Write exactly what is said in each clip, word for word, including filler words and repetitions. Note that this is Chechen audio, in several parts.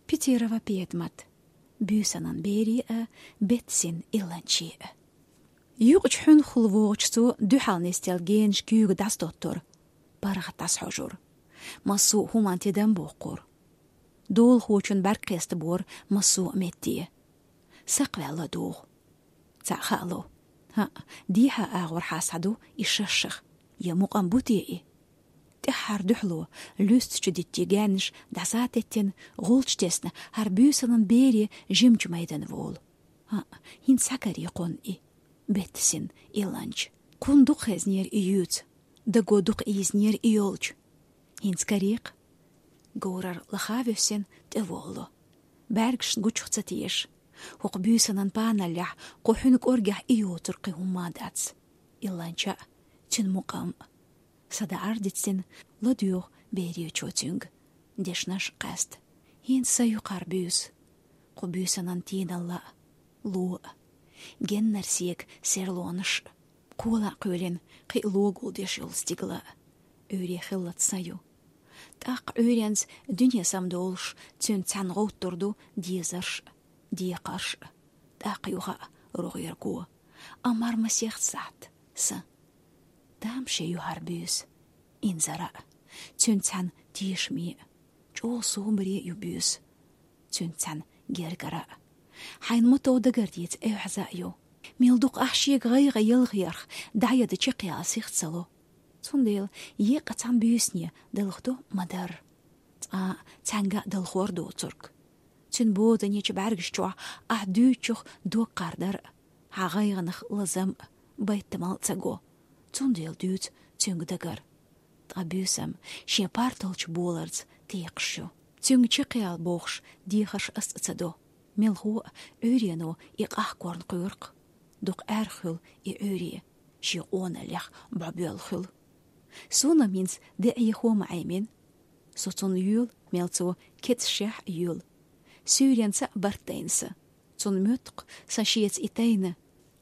Петерова Педмат. Буьйсанан берий а, беттасин илланчий а. Юкъача хьуьнхал вогӀача цо дуьхьал нисделла генаш куьйга дӀасадоттор, паргӀат дӀасахьожор. Массо а хӀуманна тидам боккхор. Долахочун бӀарг кхестабора массо а метте. Сакхваьлла догӀу. Цхьаъ хаало. ХӀаъ, дехьа агӀор хьасхьаду и шашах. Я мукъам бу те и? ТӀеххьара дуьхьало, луьстачу диттий гаьнаш дӀасатеттина, гӀулч тесна, хӀара буьйсанан берий жимчу майдана волу. ХӀаъ, хӀинца схьакарий кхунна и, беттасин илланча. Кхунна дукха хезнера и юьйца, даго дукха ийзинера и йолчу. ХӀинца карий-кх. Говрар лаха а воьссина, тӀеволало. БӀаьргашна гучух ца теша. ХӀокху буьйсанан паналлехь, кху хьуьнан кӀоргехь и йоцург кхин хӀумма а дац. Илланча а, цуьнан мукъам а. СадаӀар дицдина, ладоьгӀу беречо цуьнга. Дешнаш а къаьста. ХӀинца са ю кхара буьйса. Кху буьйсанан тийналла а, ло а. Геннара сека серлонаш а. Кхола а кхоьлина, кхин а ло гулдеш йолу стигала а. Ӏуьйре хиллалц са ю. ТӀаккха Ӏуьйренца дуьне самадолуш, цуьнца цхьаьна гӀовттур ду дезарш а, декхарш а, тӀаккха юха а рогӀерго. Амма хӀара масех сахьт са. Тамаше ю хӀара буьйса, инзара а, цуьнца цхьаьна тешаме а, чӀогӀа собаре а ю буьйса, цуьнца цхьаьна гергара а. Хьайна ма-тов дагардеца эвхьаза а ю. Мел дукха ахь шега гӀайгӀа ялхерх дӀаяда чекхъяла сих ца ло. Цундела еккъа цхьана буьйсане далхадо ма-дарра. Цкъа а цхьаьнга а далхор доцург. Цуьнан бозанечу бӀаьргаш чохь ахь дуьйцучух дог кхардар а, хьан гӀайгӀанах лазам а, байтамал а ца го. Цундела дуьйцу цуьнга дагар. Ткъа буьйсам шен парталчу боларца текхаш ю. Цуьнга чекхъяла бохуш, дехарш ас а ца до. Мелхо а Ӏуьйрено и къахкорна кхоьру-кх. Дукха аьрха хуьлу и Ӏуьйре, шен къоналлех бӀобоьлла хуьлу. Суна-м хӀинца де Ӏехо ма Ӏемина. Со цунна йоьлу, мел цо кецашехь а йоьлу. Суьйренца а барт дайна сан. Цунна моьтту-кх сан шеца и тайна.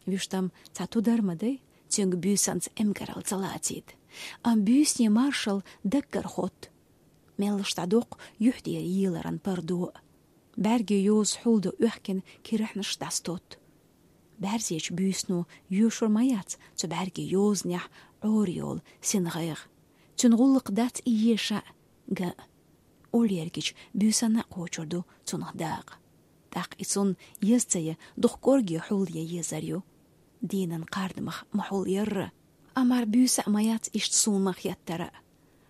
Вуьштам цхьа тудар ма дай, цуьнга буьйсанца эмкаралла ца лацийта. Амма буьйсане маршалла даггара хотту. Меллаша дӀадоккху юьхь тӀера еларан пардо а. БӀаьргийн йоза хьулдо оьхкина кирахьнаш дӀасатотту. БӀаьрзечу буьйсано йоьшур ма яц цу бӀаьргийн йозанехь Ӏора йолу сингӀайгӀа. Цуьнан гӀуллакх дац и еша а, ган а. Уллергича буьйсанна а кхочур ду цунах дакъа. ТӀаккха и цунна еза ца ян, дукха кӀорге хьулъян езар ю. Дийнан кхардамах ма хьулъярра. Амма хӀара буьйса а ма яц иштта суна ма хеттара а.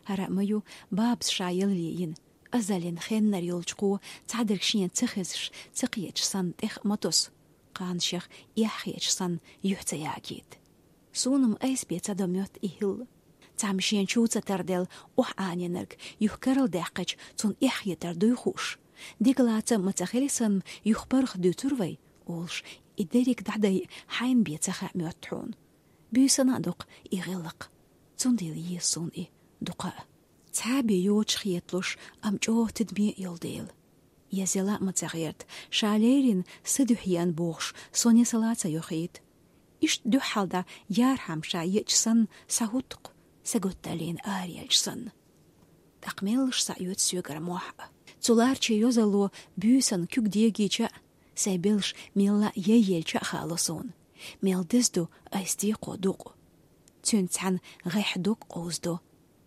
ХӀара а ма ю бабас ша ялле йина, азаллин хеннара йолчу кхо цхьадерг шена ца хезаш, ца кхеташ санна тӀех а ма тосу, кхана шех эхь хеташ санна юьхь ца ягийта. Суна-м айса бен ца до моьтту и хӀилла. Цхьамма шена чу ца тарделла охьа Ӏанийнарг юха карладаьккхича, цунна эхь хетар дуй хууш? Дика лаца а ма ца хили санна, юха паргӀат дуьйцур вай, олуш, и дерриг дӀадай хьайна бен ца хаьа моьтту хьуна. Буьйсанна а доккху и гӀиллакх. Цундела еза суна и дукха а. Цхьа а бен йоцуш хеталуш, амма чӀогӀа тидаме а йолу дела. Еза яла а ма ца гӀерта, ша леррина са дуьхьа еана бохуш, со несала ца йохийта. Иштта дуьххьал дӀа ярхьама ша еача санна схьахӀутту-кх, саготталлина араелча санна. ТӀаккха меллаша схьаоьцу соьгара мохь а. Цу ларчийн йозалло буьйсанна куьг дегийча а, сайн белш мелла а яйъелча а хаало суна, мел деза ду айса декхо дукъ. Цуьнца цхьаьна гӀеххьа дог къовсадо.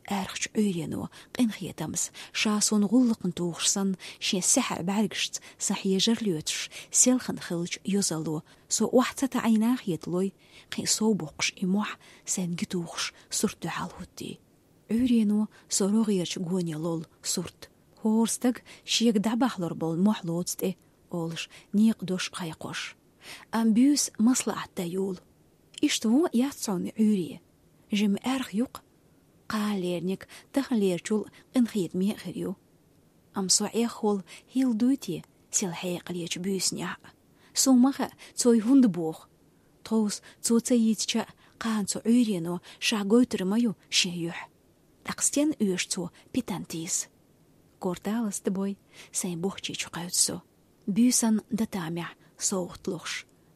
Аьрхачу Ӏуьйрено къинхетамца, ша суна гӀуллакхна тухуш санна, шен саьхьа бӀаьргашца сан хьежар лоьцуш, селхана хиллачу йозалло, со охьа ца таӀийна хеталой, кхин а сов боккхуш и мохь сайн ги тухуш сурт дуьхьал хӀуттий. Ӏуьйрено со рогӀерчу гоне лолу сурт. ХӀора стага шега дӀабахьалур болу мохь лоцу тӀе, олуш, некъан дош кхайкхош. Амма буьйса маслаӀат дан йолу. Иштта вон а яц хьуна Ӏуьйре. Жимма аьрха ю-кх. Кхана лериниг таханлерачул къинхетаме а хир ю. Амма со эххол хӀилла дуй те сел хьекъалечу буьйсанехь а? Суна ма хаьа, цо и хӀунда боху. Тховса цо ца йийцича а, кхана цу Ӏуьйрено ша гойтур ма ю шен юьхь. ТӀаккха стенна оьшу цо питана тийса? Корталас дан бой, сайн бохчи чу кхаьвца со. Буьйсанна дан тамехь совгӀат лохуш,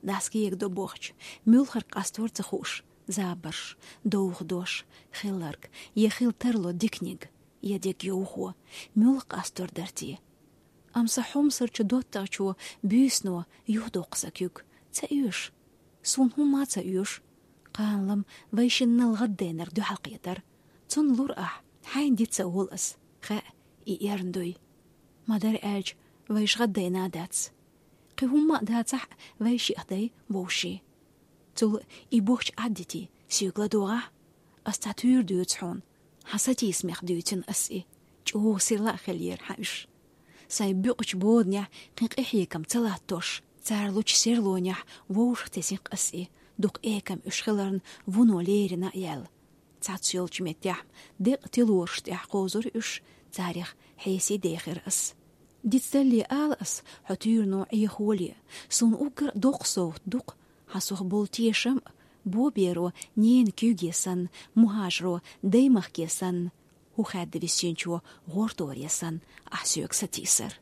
дӀасакегадо бохча, муьлхарг къастор ца хууш, забарш, довха дош, хилларг, я хила тарло диканиг, я дегайовхо, муьлха къастор дара те? Амма са хьомсарчо доттагӀчо буьйсано юхадоккху сан куьг. Ца оьшу. Суна хӀумма а ца оьшу. Кхана-м вайшиннал гӀаддайнарг дуьхьал кхетар. Цунна лур ахь, хьайна диц ца олу ас. Хаьа, и эрна дуй. Ма-дарра аьлча, вайша гӀаддайна а дац. Кхин хӀумма а дацахь а, вайшиъ дай вовший. Цул и бохча Ӏаддитий, соьга ладогӀахь. Ас цхьа туьйра дуьйцу хьуна. Хьан сатийсамех дуьйцина ас и. ЧӀогӀа сирла а хиллера хьан уьш. Сайн буькъачу боданехь кхин къинхьегам ца латтош, цара лучу серлонехь вовшах тесира ас и, дукха экам уьш хиларна вуно лерина а яьлла. Цхьацца йолчу меттехь декъа тилораш тӀехь кхозура уьш, царех хьесий дехира ас. Дицдалле ала ас, хьо туьйрано Ӏехоле, суна уггар а доккха совгӀат ду-кх, хьан сох болу тешам а, боберо ненан куьйге санна, мухӀажаро даймахке санна, хӀу хаьдда висинчо гӀорторе санна, ахь соьга сатийсар.